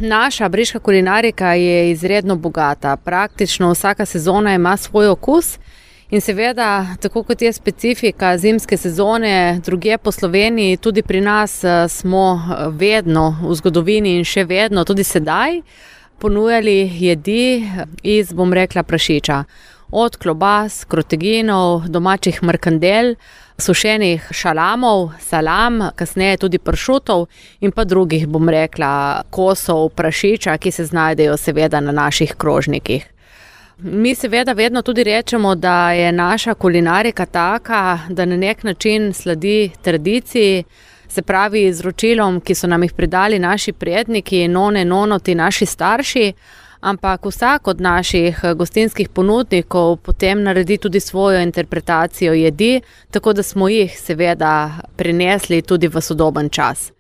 Naša briška kulinarika je izredno bogata. Praktično vsaka sezona ima svoj okus in seveda, tako kot je specifika zimske sezone drugje po Sloveniji, tudi pri nas smo vedno v zgodovini in še vedno, tudi sedaj, ponujali jedi iz, prašiča. Od klobas, kroteginov, domačih mrkandel, sušenih šalamov, salam, kasneje tudi pršutov in pa drugih, kosov prašiča, ki se znajdejo seveda na naših krožnikih. Mi seveda vedno tudi rečemo, da je naša kulinarika taka, da na nek način sledi tradiciji, se pravi izročilom, ki so nam jih predali naši predniki, none, nonoti, naši starši, ampak vsak od naših gostinskih ponudnikov potem naredi tudi svojo interpretacijo jedi, tako da smo jih seveda prinesli tudi v sodoben čas.